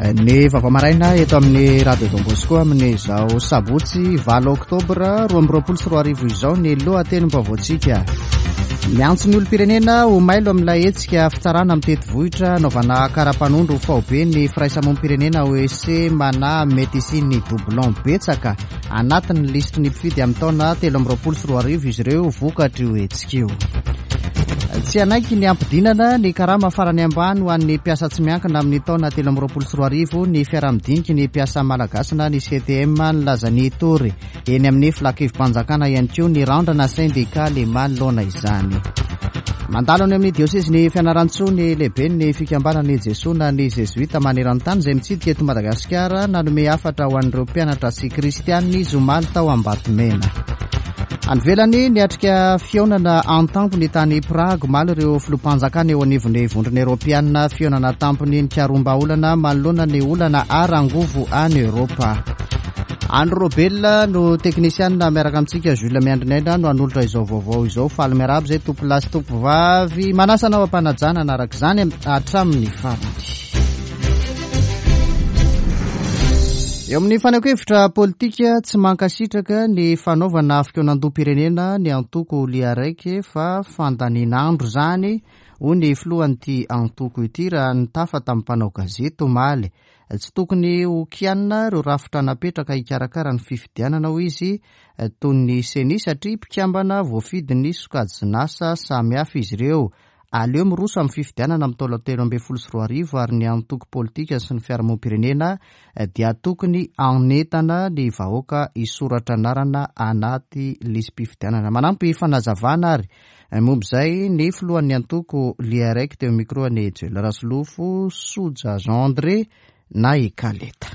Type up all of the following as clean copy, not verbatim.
Ny vaovao maraina eto amin'ny Radio Don Bosco amin'izao sabotsy 8 oktobra 2022 izao ny lohatenim-baovaontsika. Miantso ny olom-pirenena ho mailo amin'ilay hetsika fitsarana mitety vohitra anaovana kara-panondro faobe ny firaisamonim-pirenena OEC manahy mety hisian'ny doublon betsaka anatin'ny lisitry ny mpifidy amin'ny taona 2023 izy ireo vokatr'io hetsika io. Tsy hanaiky ny hampidinana ny karama farany ambany ho an'ny mpiasa tsy miankina amin'ny taona 2023 ny fiaraha-midiniky ny mpiasa malagasy na ny CTM nilaza ny hitory eny amin'ny filankevim-panjakana ihany koa ny randrana sendikaly manoloana izany. Mandalo any amin'ny diosezin'i Fianarantsoa ny lehiben'ny fikambanan'ny Jesoa na ny Zezoita maneran-tany izay mitsidika eto Madagasikara nanome hafatra ho an'ireo mpianatra sy kristianina izy omaly tao Ambatomena. Any ivelany, niatrika fihaonana an-tampony tany Prague omaly ireo filoham-panjakana eo anivon'ny Vondrona Eoropeanina, fihaonana an-tampony nikaroham-bahaolana manoloana ny olana ara-angovo any Eoropa. Andry Robel no teknisianina miaraka amintsika, Jules Miandrinaina no hanolotra izao vaovao izao. Faly miarahaba izay tompolahy sy tompovavy. Manasa anao am-panajana hanaraka izany hatramin'ny farany. Eo amin'ny fanehoan-kevitra politika, tsy mankasitraka ny fanaovana fikaonandoham-pirenena ny antoko Liaraiky fa fandanian'andro izany, hoy ny filohan'ity antoko ity raha nitafa tamin'ny mpanao gazety omaly. Tsy tokony ho kianina ireo rafitra napetraka hikarakara ny fifidianana, hoy izy, toy ny Ceni satria mpikambana voafidin'ny sokajin'asa samihafa izy ireo. Aleo miroso amin'ny fifidianana amin'ny taona 2013 ary ny antoko politika sy ny fiarahamonim-pirenena dia tokony hanentana ny vahoaka hisoratra anarana anaty lisi-pifidianana. Manampy fanazavana ary momba izay ny filohan'ny antoko Liarec teo micro an'i Joel Rasolofo, Soja Jean André na i Kaleta.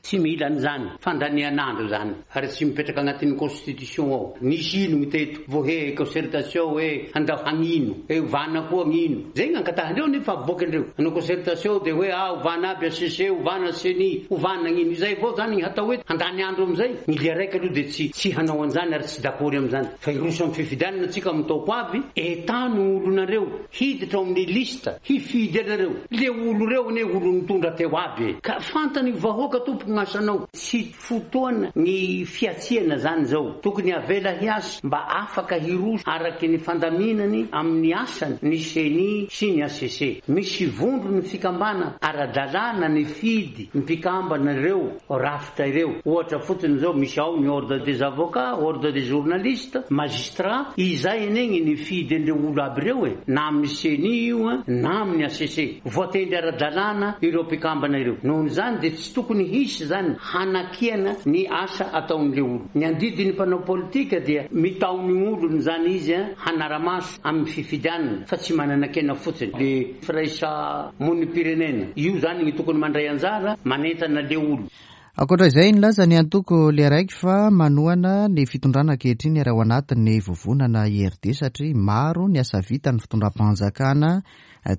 Tsy mila an'izany fandanian'andro izany ary tsy mipetraka agnatin'ny constitution ao. Nisy ino teto vao he concertation hoe handao hagnino, he ovana koa agnino. Zay gny angatahandreo nefa avoakindreo. Hanao concertation dia hoe ah ovana aby HCC, ovana ceni, ovana agnino. Izay avao zany gny hatao eto. Handany andro amizay. Ny lia raika aloha dia tsy tsy hanao an'izany ary tsy dakory amizany. Fa hiroso amin'ny fifidianana tsika amin'ny taoko avy, entano olonareo hiditra ao amin'ny liste hifidy anareo. Le olo reo anie olo nitondra teo aby e! Ka fantany vahoaka tompoko gn'asanao. Tsy fotoana ny fiatsihana zany zao. Tokony avela hiasa mba afaka hiroso araky ny fandaminany amin'ny asany ny ceni sy ny HCC. Misy vondrony fikambana ara-dalàna nifidy mpikambana ireo rafitra ireo. Ohatra fotsiny zao misy ao ny ordre des avocats, ordre des journalistes, magistrats, izay anie gny nifidy an'ireo olo aby ireo e, na amin'ny ceni io na amin'ny HCC. Voatendry ara-dalàna ireo mpikambana ireo. Nohon'izany dia tsy tokony hisy izany hanakiana ny asa ataon'ilay olo. Ny andidin'ny mpanao politika dia mitaony olony izany izy hanara-maso amin'ny fifidianana fa tsy manana-kena fotsiny. Le firaisamonim-pirenena io izany ny tokony mandray anjara manentana le olo. Ankoatra izay, nilaza ny antoko Learaiky fa manohana ny fitondrana ankehitriny ary ao anatin'ny vovonana IRD satria maro ny asa vitan'ny fitondram-panjakana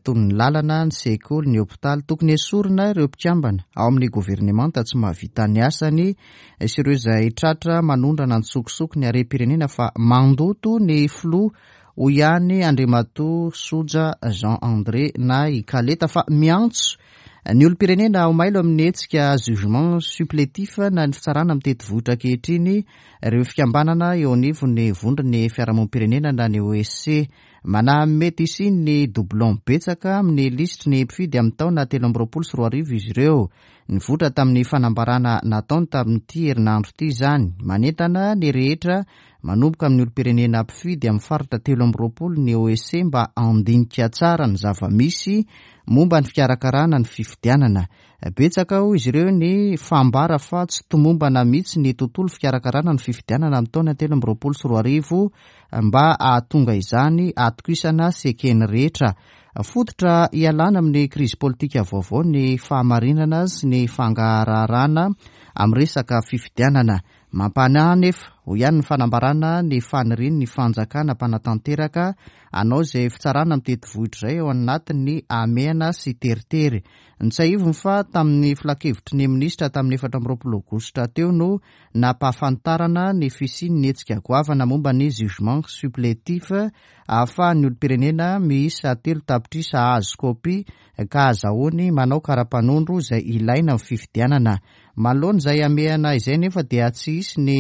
toy ny lalana, ny sekoly, ny hopitaly. Tokony hesorina ireo mpikambana ao amin'ny governemanta tsy mahavita ny asany sy ireo izay tratra manondrana an-tsokosoko ny harem-pirenena fa mandoto ny filoha hoy ihany Andriamatoa Soja Jean André na i Kaleta fa miantso ny olom-pirenena ho mailo amin'ny hetsika jugement supplétif na ny fitsarana mitety vohitra ankehitriny ireo fikambanana eo anivon'ny vondron'ny fiarahamonim-pirenena na ny OSC. Manahy mety hisian'ny doublon betsaka amin'ny lisitry ny mpifidy amin'ny taona 2023 izy ireo. Nivoitra tamin'ny fanambarana nataony tamin'ity herinandro ity izany. Manentana ny rehetra manomboka amin'ny olom-pirenena mpifidy amin'ny faritra 23 ny OSC mba handinika tsara ny zava-misy momba ny fikarakarana ny fifidianana. Betsaka hoy izy ireo ny fambara fa tsy tomombana mihitsy ny tontolo fikarakarana ny fifidianana amin'ny taona 2023 mba hahatonga izany hatokisana sy eken'ny rehetra. Fototra hialana amin'ny krizy politika vaovao ny fahamarinana sy ny fangaraharana amin'ny resaka fifidianana. Mampanahy anefa, hoy ihany ny fanambarana ny fanirian'ny fanjakana mpanatanteraka hanao izay fitsarana mitety vohitra izay ao anatin'ny hamehana sy teritery. Notsiahiviny fa tamin'ny filankevitry ny minisitra tamin'ny 24 aogositra teo no nampahafantarana ny fisian'ny hetsika goavana momba ny jugement supplétif ahafahan'ny olom-pirenena miisa 3 tapitrisa hahazo kopia ka ahazahoany manao kara-panondro izay ilaina amin'ny fifidianana. Manoloana izay hamehana izay anefa dia tsy hisy ny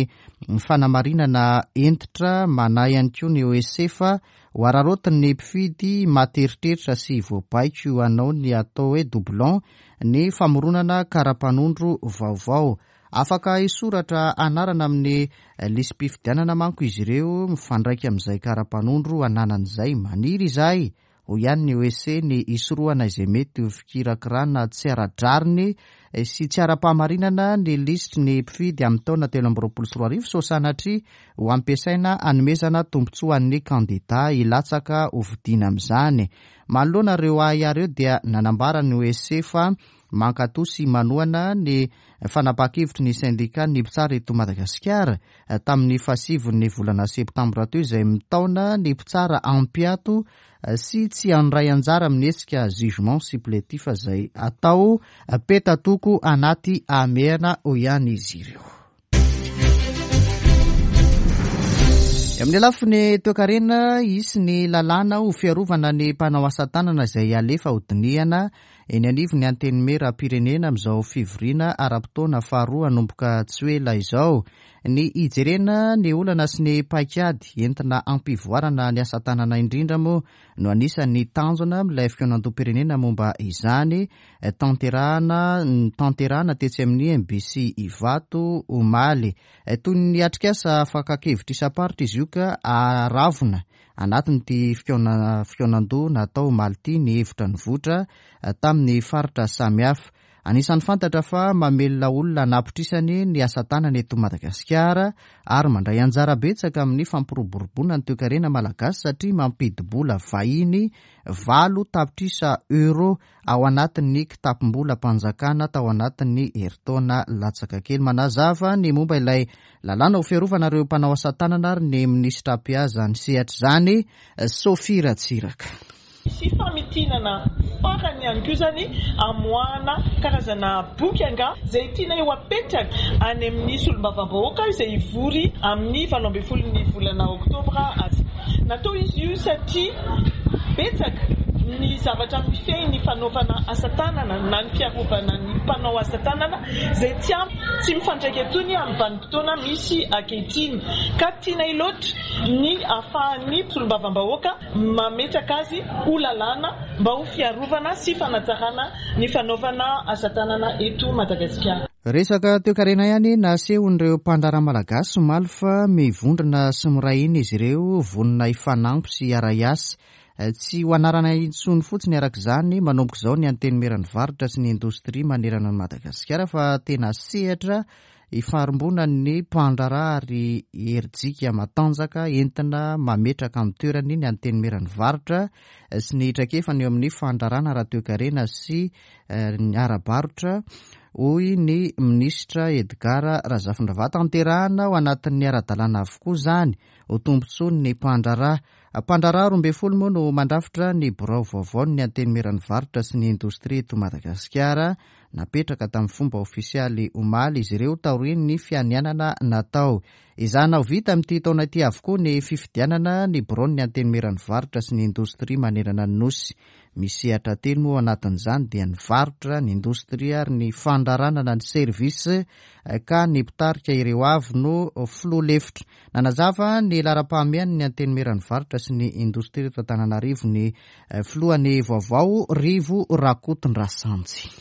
fanamarinana hentitra, manahy ihany koa ny OSC fa ho araraotin'ny mpifidy maty eritreritra sy voabaiko hanao ny atao hoe doublon ny famoronana kara-panondro vaovao. Afaka hisoratra anarana amin'ny lisi-pifidianana manko izy ireo mifandraika amin'izay kara-panondro ananany izay. Maniry izahay, hoy ihany ny OSC, ny hisorohana izay mety ho fikirakirana tsy ara-drariny sy tsy ara-pahamarinana ny lisitry ny mpifidy amin'ny taona 2023 sao sanatria ho ampiasaina hanomezana tombontsoa an'ny kandida hilatsaka hofidiana amin'izany. Manoloana ireo ahiahy ireo dia nanambara ny OSC fa Mankatò sy manohana ny fanapahan-kevitry ny sendikan'ny mpitsara eto Madagasikara tamin'ny fahasivin'ny volana septambra teo izay mitaona ny mpitsara hampiato sy tsy handray anjara amin'ny hetsika jugement supplétif izay atao petatoko anaty hamehana, hoy ihany izy ireo. Amin'ny lafiny toekarena, hisy ny lalàna ho fiarovana ny mpanao asa tanana izay halefa hodinihana eny anivon'ny Antenimierampirenena amin'izao fivoriana ara-potoana faharoa hanomboka tsy ho ela izao. Ny hijerena ny olana sy ny paikady entina hampivoarana ny asa tanana indrindra moa no anisan'ny tanjona amin'ilay fikaonandoham-pirenena momba izany tanterahana notanterahana tetsy amin'ny MBC Ivato omaly. Toy ny atrikasa fakan-kevitra isam-paritra izy io ka aravona anatin'ity fikaonandoha natao omaly ity ny hevitra nivoitra tamin'ny faritra samihafa. Anisan'ny fantatra fa mamelona olona anapitrisany ny asa tanana eto Madagasikara ary mandray anjara betsaka amin'ny fampiroboroboana ny toekarena malagasy satria mampidi-bola vahiny 8 tapitrisa euro ao anatin'ny kitapom-bolam-panjakana tao anatin'ny herintaona latsaka kely. Manazava ny momba ilay lalàna ho fiarovana ireo mpanao asa tanana ary ny minisitra mpiahy ny sehatra izany, Sophie Ratsiraka. Sy famitinana farany ihany koa zany amoahana karazana boky anga zay tiana eo apetraka any amin'ny solombavambahoaka izay hivory amin'ny 18n'ny volana oktobra azy. Natao izy io satria betsaka ny zavatra mifehy ny fanaovana asa tanana na ny fiarovana ny mpanao asa tanana izay tsy ampy, tsy mifandraika intsony amin'ny vanim-potoana misy ankehitriny, ka tianay loatra ny ahafahan'ny solombavambahoaka mametraka azy ho lalàna mba ho fiarovana sy fanatsarana ny fanaovana asa tanana eto Madagasikara. Resaka toekarena ihany nasehon'ireo mpandraharaha malagasy omaly fa mivondrona sy miray hina izy ireo, vonona hifanampy sy hiara-hiasa. Tsy ho anarana intsony fotsiny araka izany manomboka izao ny Antenimieran'ny varotra sy ny indostria manerana an'i Madagasikara fa tena sehatra ifarimbonan'ny mpandraharaha ary herijika matanjaka entina mametraka amin'ny toerany ny Antenimieran'ny varotra sy ny traikefany eo amin'ny fandraharahana ara-toekarena sy ny ara-barotra, hoy ny minisitra Edgard Razafindravahy. Tanterahana ao anatin'ny ara-dalàna avokoa izany ho tombontsoan'ny mpandraharaha. Mpandraharaha 12 moa no mandrafitra ny birao vaovaon'ny Antenimieran'ny varotra sy ny indostria eto Madagasikara. Napetraka tamin'ny fomba ofisialy omaly izy ireo taorian'ny fianianana natao. Ezahina ho vita amin'ity taona ity avokoa ny fifidianana ny biraon'ny Antenimieran'ny varotra sy ny indostria manerana ny Nosy. Misy sehatra telo moa ao anatin'izany dia ny varotra, ny indostria ary ny fandraharahana na ny service ka ny mpitarika ireo avy no filoha lefitra. Nanazava ny laharam-pahamehan'ny Antenimieran'ny varotra sy ny indostria eto Antananarivo ny filohany vaovao Rivo Rakotondrasanjy.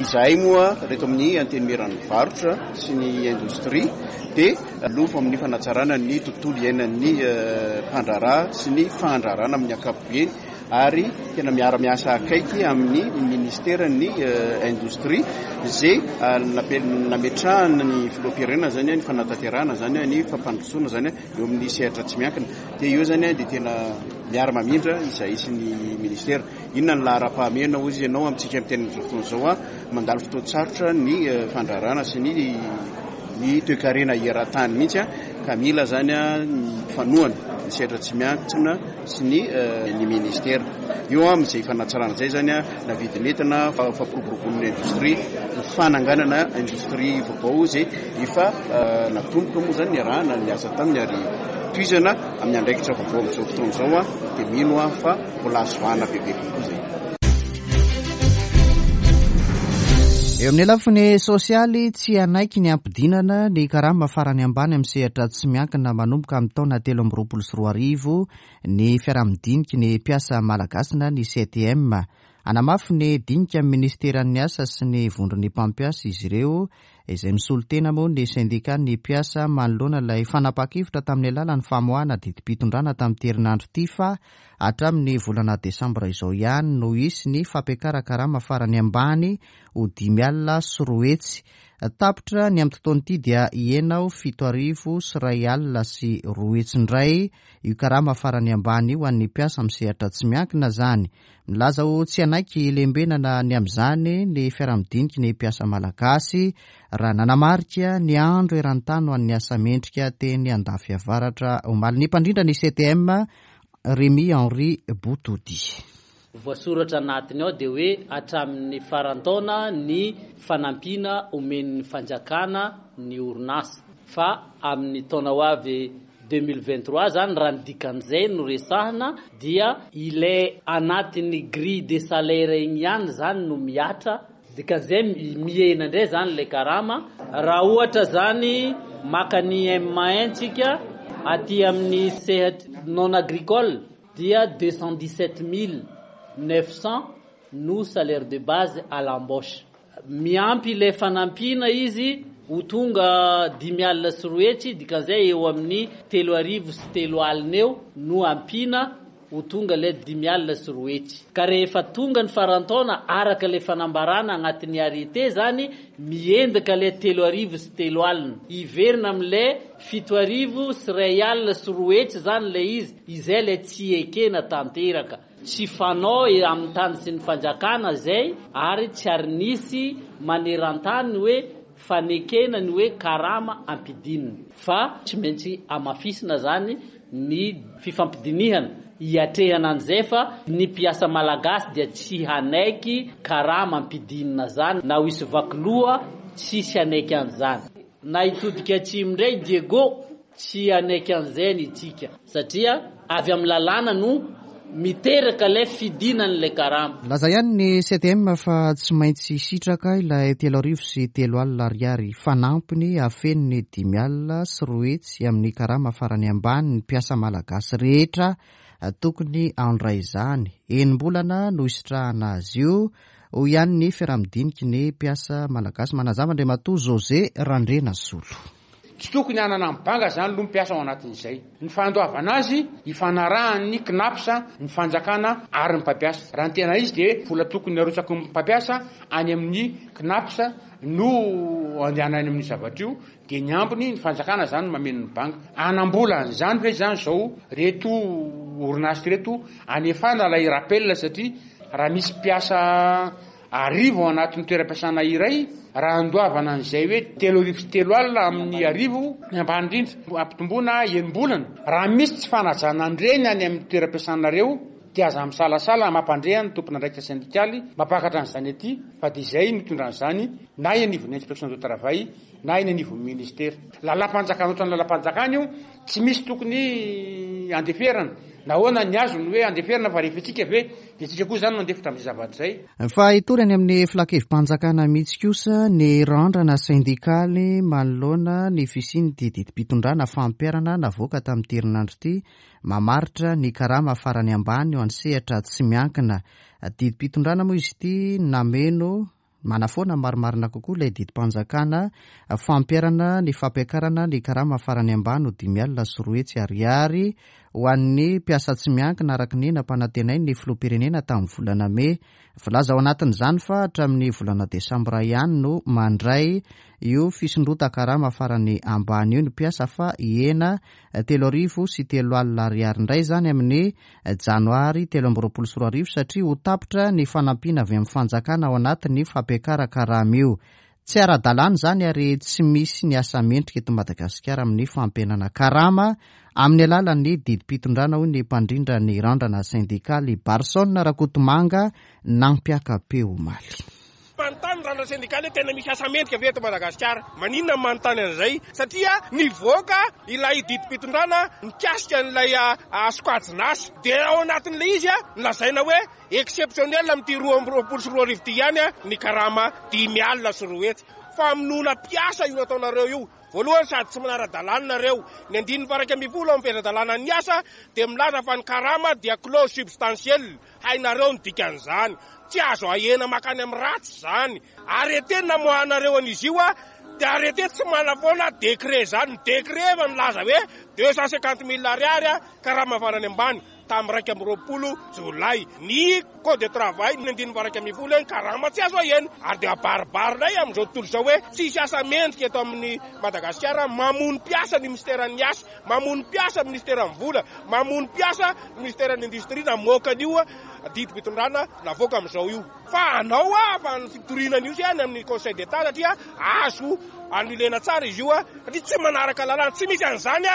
Izahay moa reto amin'ny Antenimieran'ny varotra sy ny indostria dia lofo amin'ny fanatsarana ny tontolo iainan'ny mpandraharaha sy ny fandraharahana amin'ny ankapobeny ary tena miara-miasa akaiky amin'ny ministeran'ny indostria izay nametrahana ny filoham-pirenena izany ny fanatanterahana izany ny fampandrosoana izany eo amin'ny sehatra tsy miankina dia eo izany dia tena miara-mamindra izahay sy ny ministera. Inona ny laharam-pahamehana hoy izy ianao amintsika miteny amin'izao fotoana izao a? Mandalo fotoan-tsarotra ny fandraharahana sy ny ny toekarena eran-tany mihitsy a. Ka mila izany ny fanohana ny sehatra tsy miankina sy ny ny ministera. Eo amin'izay fanatsarana izay izany na vidin'entana, fampiroboroboana ny indostria, ny fananganana indostria vaovao izay efa natomboka moa izany niarahana niasa taminy ary tohizana amin'ny andraikitra vaovao amin'izao fotoana izao dia mino aho fa mbola azo vahana bebe kokoa izay. Eo amin'ny lafiny sosialy, tsy hanaiky ny hampidinana ny karama farany ambany amin'ny sehatra tsy miankina manomboka amin'ny taona 2023 ny fiaraha-midiniky ny mpiasa malagasy na ny CTM. Hanamafy ny dinika amin'ny minisiteran'ny asa sy ny vondron'ny mpampiasa izy ireo izay misolo tena moa ny sendikan'ny mpiasa manoloana ilay fanapahan-kevitra tamin'ny alalan'ny famoahana didim-pitondrana tamin'ity herinandro ity fa hatramin'ny volana desambra izao ihany no hisy ny fampiakaran-karama farany ambany ho 205. Tapitra ny amin'ity taona ity dia hihena ho 207.5 indray io karama farany ambany io ho an'ny mpiasa amin'ny sehatra tsy miankina izany. Milaza ho tsy hanaiky lembenana ny amin'izany ny fiaraha-midiniky ny mpiasa malagasy raha nanamarika ny andro eran-tany ho an'ny asa mendrika teny Andafiavaratra omaly ny mpandrindra ny CTM Rémi Henri Botody. Voasoratra anatiny ao dia hoe hatramin'ny faran-taona ny fanampiana omen'ny fanjakana ny orinasa fa amin'ny taona ho avy 2023 zany raha ny dikan'izay no resahina dia ilay anatin'ny grille de salaire igny ihany zany no mihatra, dikan'izay mihena indray zany ilay karama. Raha ohatra zany maka ny M1 tsika aty amin'ny sehatry non agricole dia 217 900 no salaire de base à l'embauche. Miampy ilay fanampiana izy ho tonga 205, dikan'izay eo amin'ny 3 300 eo no ampiana ho tonga ilay 205. Ka rehefa tonga ny faran-taona araka ilay fanambarana agnatin'ny arrêté zany, miendaka ilay 3 300, hiverina amin'ilay 2 701 zany ilay izy, izay ilay tsy ekena tanteraka. Tsy fanao amin'ny tany sy ny fanjakana zay ary tsy ary nisy maneran-tany hoe fanekena ny hoe karama ampidinina fa tsy maintsy amafisina zany ny fifampidinihana hiatrehana an'izay fa ny mpiasa malagasy dia tsy hanaiky karama ampidinina zany na ho isy vakiloha tsisy hanaiky an'izany na hitodika atsimo indray Diego tsy hanaiky an'izay ny tsika satria avy amin'ny lalàna no miteraka ilay fidinan'ilay karama. Milaza ihany ny CTM fa tsy maintsy hisitraka ilay 3 300 ariary fanampiny hahafeno ny 205 amin'ny karama farany ambany ny mpiasa malagasy rehetra tokony handray izany. Enim-bolana no hisitrahana azy io, hoy ihany ny fiaraha-midiniky ny mpiasa malagasy. Manazava Andriamatoa José Randrianasolo. Tsy tokony hanana ny banga zany aloha mpiasa ao anatin'izay. Ny fandoavana azy ifanarahan'ny Cnaps, ny fanjakana ary ny mpampiasa. Raha ny tena izy dia vola tokony arotsaky ny mpampiasa any amin'ny Cnaps no andehanany amin'io zavatra io dia ny ambiny ny fanjakana zany no mameno ny banga. Hanam-bola an'izany ve zany zao reto orinasa ireto anefana ilay rappel satria raha misy mpiasa 1000 ao anatin'ny toeram-piasana iray, raha andoavana an'izay hoe 3 300 amin'ny 1000, ny ambany indrindra, ampitomboina enim-bolana. Raha misy tsy fanajana an'ireny any amin'ny toeram-piasanareo dia aza misalasala mampandre ny tompon'andraikitra sendikaly mampakatra an'izany aty fa dia izay no hitondra an'izany na eny anivon'ny inspection de travail na eny anivon'ny ministera. Lalam-panjakana ohatran'ny lalam-panjakana io, tsy misy tokony andeferana. Nahoana ny azo no hoe andeferana fa rehefa itsika ve dia tsika koa izany no andefitra amin'izay zavatra izay? Fa hitory any amin'ny filankevi-panjakana mihitsy kosa ny randrana sendikaly manoloana ny fisian'ity didim-pitondrana fampiharana navoaka tamin'ity herinandro ity mamaritra ny karama farany ambany ho an'ny sehatra tsy miankina. Didim-pitondrana moa izy ity nameno manafoana marimarina kokoa ilay didim-panjakana fampiharana ny fampiakarana ny karama farany ambany ho 205 ariary ho an'ny mpiasa tsy miankina araka ny nampanantenain'ny filoham-pirenena tamin'ny volana mey. Voalaza ao anatin'izany fa hatramin'ny volana desambra ihany no mandray io fisondrotan-karama farany ambany io ny mpiasa fa hihena 3 300 ariary indray izany amin'ny janoary 2023 satria ho tapitra ny fanampiana avy amin'ny fanjakana ao anatin'ny fampiakaran-karama io. Tsy ara-dalàna izany ary tsy misy ny asa mendrika eto Madagasikara amin'ny fampihenana karama amin'ny alalan'ny didim-pitondrana hoy ny mpandrindra ny randrana sendikaly Barson Rakotomanga nampiaka-peo omaly. Manontany ny randrana sendikaly hoe tena misy asa mendrika ve eto Madagasikara? Maninona no manontany an'izay? Satria nivoaka ilay didim-pitondrana mikasika an'ilay sokajin'asa dia ao anatin'ilay izy nolazaina hoe Exceptionnel amin'ity 2022 ity ihany ny karama 205. Famonoana mpiasa io nataonareo io. Voalohany sady tsy manara-dalàna nareo. Ny andininy faha 11 amin'ny fehezan-dalànan'ny asa dia milaza fa ny karama dia clause substantielle. Hainareo ny dikan'izany. Tsy azo ahena mankany amin'ny ratsy izany. Arrêté namoahanareo an'izy io dia arrêté tsy manafoana décret izany. Ny décret efa nilaza hoe 250 000 ariary karama farany ambany. tamin'ny 21 jolay. Ny code de travail ny andininy faha 11 hoe ny karama tsy azo ahena ary dia abaribarinay amin'izao tontolo izao hoe tsisy asa mendrika eto amin'ny Madagasikara, mamono mpiasa ny minisiteran'ny asa, mamono mpiasa ny minisiteran'ny vola, mamono mpiasa ny minisiteran'ny indostria namoaka an'io didim-pitondrana navoaka amin'izao io. Fa anao fa ny fitoriana an'io any amin'ny conseil d'Etat satria azo annulena tsara izy io satria tsy manaraka lalàna, tsy misy an'izany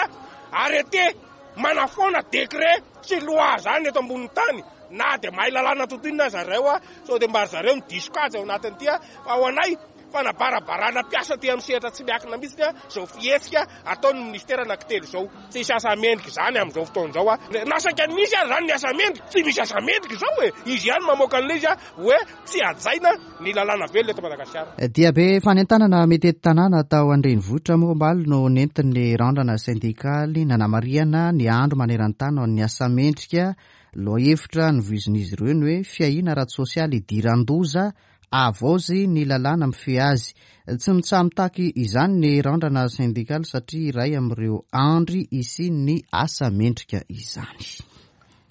arrêté. Manafoana décret sy loi zany eto ambonin'ny tany na dia mahay lalàna totoa inona aza zareo a, sao dia mba ry zareo no diso kajy ao anatin'ity a, fa ho anay fanabarabarana mpiasa aty amin'ny sehatra tsy miankina mihitsy a, izao fihetsika ataon'ny ministera anankitelo izao. Tsisy asa mendrika izany amin'izao fotoana izao a, na saika nisy aza izany ny asa mendrika, tsy misy asa mendrika izao e, izy ihany mamoaka an'ilay izy a, hoe tsy hajaina ny lalàna velona eto Madagasikara. Diabe fanentanana mitety tanàna tao an-drenivohitra moa omaly no nentin'ny randrana sendikaly nanamarihana ny andro maneran-tany ho an'ny asa mendrika. Lohahevitra novoizin'izy ireo ny hoe fiahiana ara-tsosialy idiran-doza, havaozy ny lalàna mifehy azy. Tsy mitsaha-mitaky izany ny randrana sendikaly satria iray amin'ireo andry hisian'ny asa mendrika izany.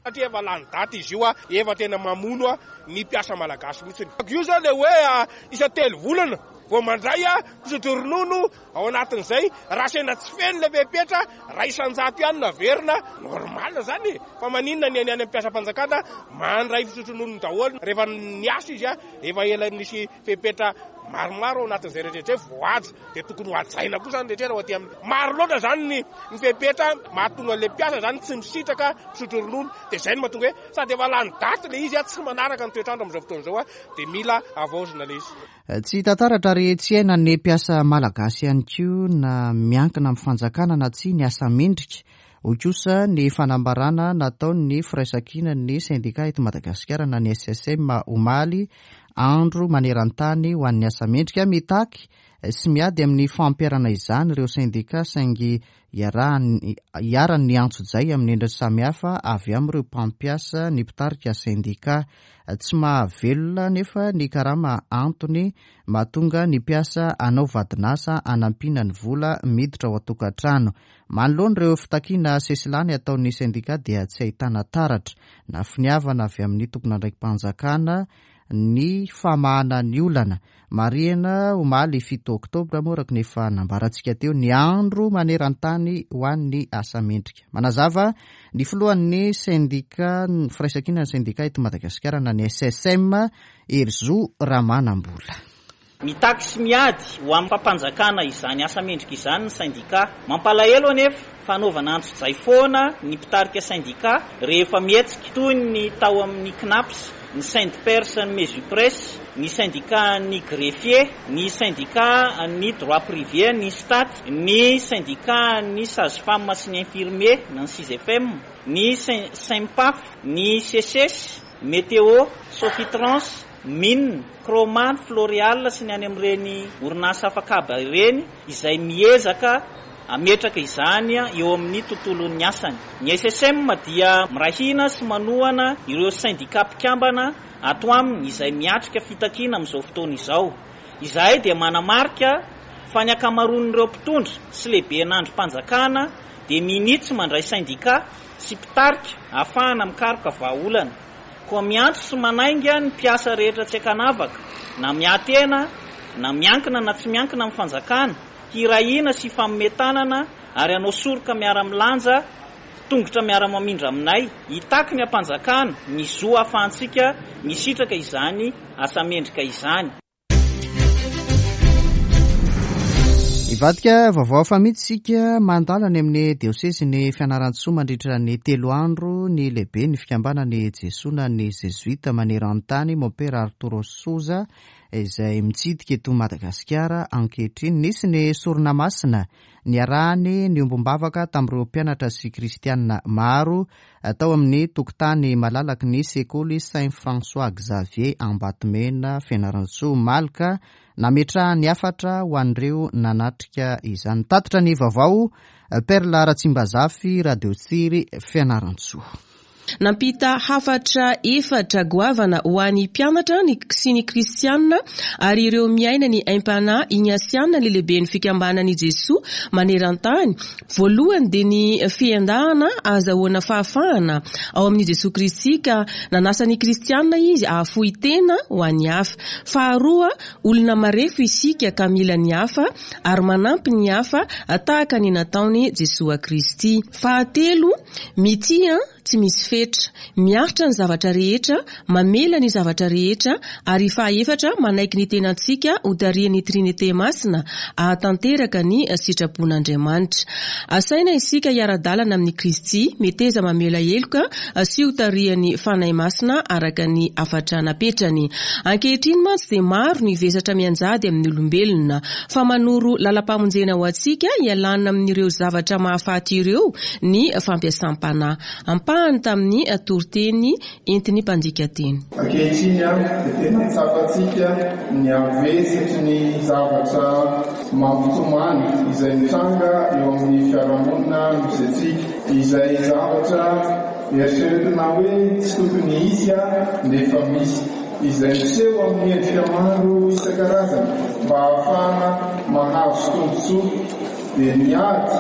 Satria efa lany daty izy io, efa tena mamono ny mpiasa malagasy mihitsy. Io zao le hoe isan-telo volana vao mandray mpisotro ronono ao anatin'izay, raha sendra tsy feno le fepetra, 1% ihany no averina, normal zany e! Fa maninona ny any amin'ny mpiasam-panjakana mandray fisotro ronono daholo rehefa niasa izy, efa ela nisy fepetra maromaro ao anatin'izay rehetra izay voahaja dia tokony ho hajaina koa izany rehetra raha ho aty amin'ny maro loatra izany ny ny fepetra mahatonga an'ilay mpiasa izany tsy misitraka misotro ronono dia izay no mahatonga hoe sady efa lany daty ilay izy tsy manaraka ny toetr'andro amin'izao fotoana izao dia mila havaozina ilay izy. Tsy hita taratra ary tsy iainan'ny mpiasa malagasy ihany koa na miankina amin'ny fanjakana na tsia ny asa mendrika Hoy kosa ny fanambarana nataon'ny Firaisankinan'ny sendika eto Madagasikara na ny SSM omaly, andro maneran-tany ho an'ny asa mendrika. Mitaky sy miady amin'ny fampiharana izany ireo sendika saingy iharan'ny antsojay amin'ny endriny samihafa avy amin'ireo mpampiasa ny mpitarika sendika. Tsy mahavelona anefa ny karama antony mahatonga ny mpiasa hanao vadin'asa hanampiana ny vola miditra ao an-tokantrano. Manoloana ireo fitakiana sesilany ataon'ny sendika dia tsy ahitana taratra na finiavana avy amin'ny tompon'andraiki-panjakana ny famahana ny olana. Marihina omaly fito oktobra moa araka ny efa nambarantsika teo ny andro maneran-tany ho an'ny asa mendrika. Manazava ny filohan'ny sendika firaisankinan'ny sendika eto Madagasikara na ny SSM, Herizo Ramanambola. Mitaky sy miady ho amin'ny fampanjakana izany asa mendrika izany ny sendikà. Mampalahelo anefa fa anaovana antsojay foana ny mpitarika sendikà rehefa mihetsika, toy ny tao amin'ny Cnaps, ny Syndpers ny Mesupres, ny sendikàn'ny greffier, ny sendikàn'ny droit privé, ny Stat, ny sendikàn'ny sage femme sy ny infirmier na ny Sisfm, ny Sempaf, ny Seces, Météo, Sofitrans, Mine, Chroma, Floreal sy ny any amin'ireny orinasa afak'haba ireny izay miezaka hametraka izany eo amin'ny tontolon'ny asany. Ny SSM dia miray hina sy manohana ireo sendikà mpikambana ato aminy izay miatrika fitakiana amin'izao fotoana izao. Izahay dia manamarika fa ny ankamaroan'ireo mpitondra sy lehiben'andrim-panjakana dia minia tsy mandray sendikà sy mpitarika ahafahana mikaroka vahaolana. Koa miantso sy manainga ny mpiasa rehetra tsy ankanavaka, na miahy tena, na miankina na tsy miankina amin'ny fanjakana, hiray hina sy hifanome tanana ary hanao soroka miara-milanja, tongotra miara-mamindra aminay, hitaky ny hampanjakana ny zo ahafahantsika misitraka izany asa mendrika izany. Hivadika vaovao hafa mihitsy isika, mandalo any amin'ny diosezin'i Fianarantsoa mandritra ny telo andro ny lehiben'ny fikambanan'ny Jesoa na ny Zezoita maneran-tany, Mompera Arturo Souza, izay mitsidika eto Madagasikara ankehitriny. Nisy ny sorona masina niarahany niombom-bavaka tamin'ireo mpianatra sy kristianina maro tao amin'ny tokotany malalaky ny sekoly Saint François Xavier Ambatomena Fianarantsoa omaly ka nametrahany hafatra ho an'ireo nanatrika izany. Nitatitra ny vaovao Perla Ratsimbazafy, Radio Tsiry, Fianarantsoa. Nampita hafatra efatra goavana ho an'ny mpianatra sy ny kristianina ary ireo miaina ny aim-panahy ignasiana ny lehiben'ny fikambanan'i Jesoa maneran-tany. Voalohany dia ny fiendahana ahazahoana fahafahana ao amin'i Jesoa Kristy ka nanasa ny kristianina izy hahafoy tena ho an'ny hafa. Faharoa, olona marefo isika ka mila ny hafa ary manampy ny hafa tahaka ny nataon'i Jesoa Kristy. Fahatelo, mitia tsy misy fetra, miaritra ny zavatra rehetra, mamela ny zavatra rehetra, ary fahaefatra, manaiky ny tenantsika ho tarihin'ny Trinite Masina hahatanteraka ny sitrapon'Andriamanitra. Asaina isika hiara-dalana amin'i Kristy, meteza mamela heloka sy ho tarihan'ny Fanahy Masina araka ny hafatra napetrany. Ankehitriny mantsy dia maro ny vesatra mianjady amin'ny olombelona, fa manoro lalam-pamonjena ho antsika hialana amin'ireo zavatra mahafaty ireo ny fampiasam-panahy. Ampahany tamin'ny toriteny entin'ny mpandika teny. Ankehitriny dia tena tsapantsika ny havesatry ny zavatra mampitomany izay mitranga eo amin'ny fiarahamonina misy antsika, izay zavatra eritreretina hoe tsy tokony hisy nefa misy, izay miseho amin'ny endrika maro isan-karazany mba hahafahana mahazo tombontsoa, dia ny ady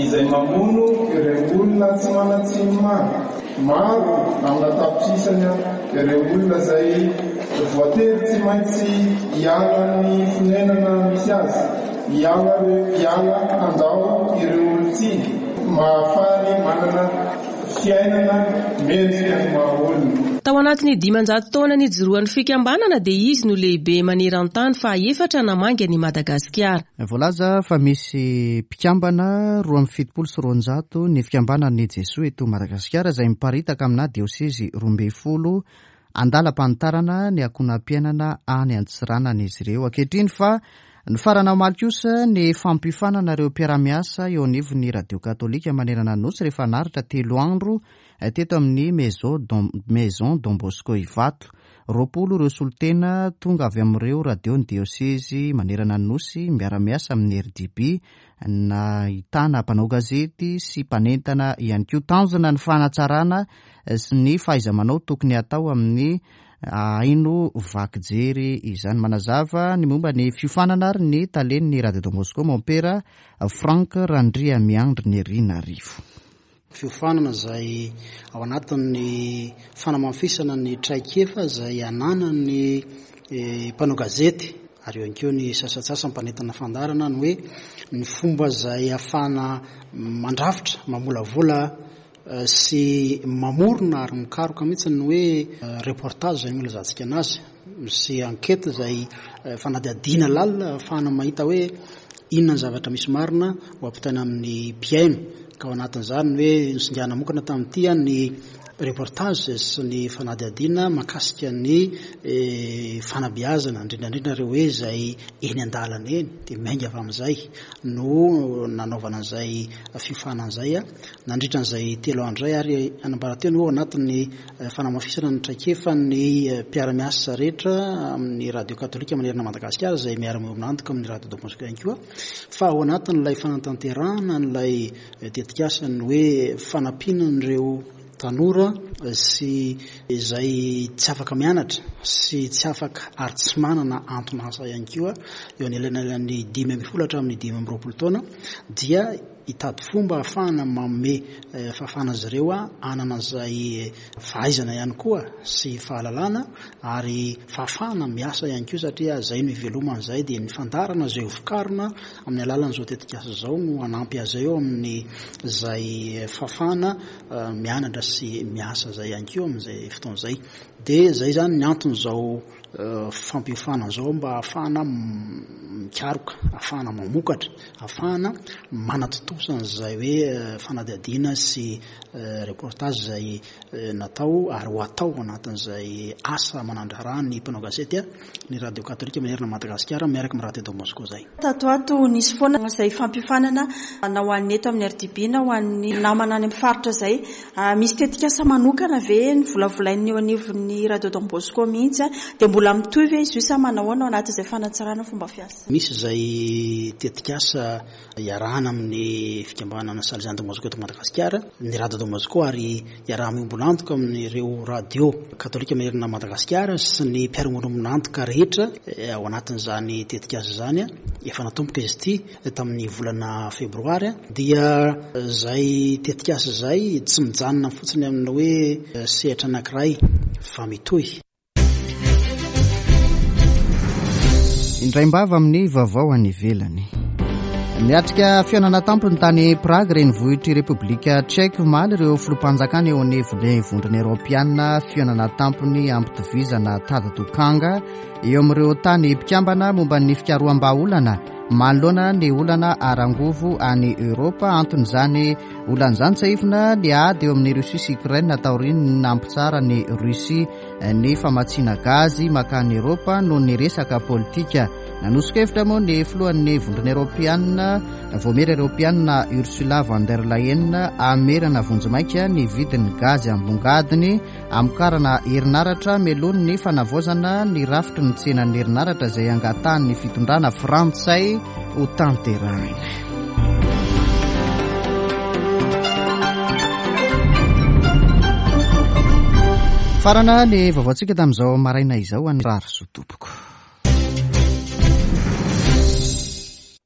izay mamono ireo olona tsy manan-tsiny maro. Maro amina tapitrisany ireo olona izay voatery tsy maintsy hiala ny fonenana misy azy, hiala hiala handao ireo olon-tiany, mahafaly manana fiainana mendrika ny maha olona. Tao anatin'ny 500 taona nijoroan'ny fikambanana dia izy no lehibe maneran-tany fahaefatra namangy an'i Madagasikara. Voalaza fa misy mpikambana 272 ny fikambanan'ny Jesoa eto Madagasikara izay miparitaka aminà diosezy 12 andalam-panitarana ny ankohonam-piainana any Antsiranana izy ireo ankehitriny fa nifarana omaly kosa ny fampiofanana ireo mpiara-miasa eo anivon'ny radio katolika manerana ny Nosy rehefa naharitra telo andro teto amin'ny Maison Don Bosco Ivato. 20 ireo solontena tonga avy amin'ireo radion'ny diosezy manerana ny Nosy miara-miasa amin'ny RDB, nahitana mpanao gazety sy mpanentana ihany koa. Tanjona ny fanatsarana sy ny fahaiza-manao tokony hatao amin'ny haino vaky jery izany. Manazava ny momba ny fiofanana ary ny talen'ny Radio Don Bosco, Mompera Franck Randriamiandry Nerinarivo. Fiofanana izay ao anatin'ny fanamafisana ny traikefa izay ananan'ny mpanao gazety ary eo ihany koa ny sasantsasany mpanentana fandaharana ny hoe ny fomba izay ahafahana mandrafitra, mamolavola sy mamorona ary mikaroka mihitsy ny hoe reportage izay no ilazantsika anazy sy enquête izay fanadihadiana lalina ahafahana mahita hoe Inona ny zavatra misy marina ho ampitaina amin'ny mpihaino? Ka ao anatin'izany ny hoe nosingana mokana tamin'ity ny reportage sy ny fanadihadiana mahakasika ny fanabeazana, indrindra indrindra ireo hoe izay eny an-dalana eny, dia miainga avy amin'izay no nanaovana an'izay fiofanana izay nandritra an'izay telo andro izay ary anambara teo ny hoe ao anatin'ny fanamafisana ny traikefan'ny mpiara-miasa rehetra amin'ny radio katolika manerana Madagasikara izay miara-miombon'antoka amin'ny radio Don Bosco ihany koa fa ao anatin'ilay fanatanterahana an'ilay tetikasa ny hoe fanampiana an'ireo tanora sy izay tsy afaka mianatra sy tsy afaka ary tsy manana anton'asa ihany koa eo anelanelan'ny 15 hatramin'ny 25 taona dia hitady fomba ahafahana manome fahafahana azy ireo hanana izay fahaizana ihany koa sy fahalalana ary fahafahana miasa ihany koa satria izay no ivelomana izay dia ny fandaharana izay hovokarina amin'ny alalan'izao tetikasa izao no hanampy azy ireo amin'ny izay fahafahana mianatra sy miasa izay ihany koa amin'izay fotoana izay. Dia izay izany ny anton'izao. fampiofanana izao mba hahafahana mikaroka, hahafahana mamokatra, hahafahana manatontosa an'izay hoe fanadihadiana sy reportage izay natao ary ho atao anatin'izay asa manandraharaha ny mpanao gazety ny radio katolika manerana an'i Madagasikara miaraka amin'ny radio Don Bosco izay. Tato ho ato nisy foana izay fampiofanana na ho an'ny eto amin'ny RDB na ho an'ny namana any amin'ny faritra izay. Misy tetikasa manokana ve novolavolain'ny eo anivon'ny radio Don Bosco mihitsy dia mbola mitohy ve izy io sa manahoana ao anatin'izay fanatsarana fomba fiasa? Misy izay tetikasa Iarahana amin'ny fikambanana Salesian'ny Don Bosco eto Madagasikara, ny Radio Don Bosco ary iaraha-miombon'antoka amin'ireo radio katolika manerana an'i Madagasikara sy ny mpiara-miombon'antoka rehetra ao anatin'izany tetikasa izany. Efa natomboka izy ity tamin'ny volana febroary dia izay tetikasa izay tsy mijanona fotsiny amin'ny hoe sehatra anankiray fa mitohy. Indraim-bava amin'ny vaovao any ivelany. Niatrika fihaonana tampony tany Prague, renivohitr'i Repoblika Tchèque omaly ireo filoham-panjakana eo anivon'ny Vondrona Eoropeana. Fihaonana tampony ampitovizana tady dokanga eo amin'ireo tany mpikambana momba ny fikaroham-bahaolana manoloana ny olana ara-angovo any Eoropa. Anton'izany olana izany tsiahivina ny ady eo amin'ny Russie sy Ukraine taorian'ny nampitsaran'i Russie ny famatsiana gazy mankany Eropa noho ny resaka politika. Nanoso-kevitra moa ny filohan'ny Vondrona Eoropeanina, Vaomiera Eoropeanina Ursula von der Leyen hamerana vonjimaika ny vidin'ny gazy ambongadiny hamokarana herinaratra mialoha ny fanavaozana ny rafitry ny tsenan'ny herinaratra izay angatahan'ny fitondrana frantsay ho tanterahina. Farana ny vaovaontsika tamin'izao maraina izao an'i Rary Soa tompoko.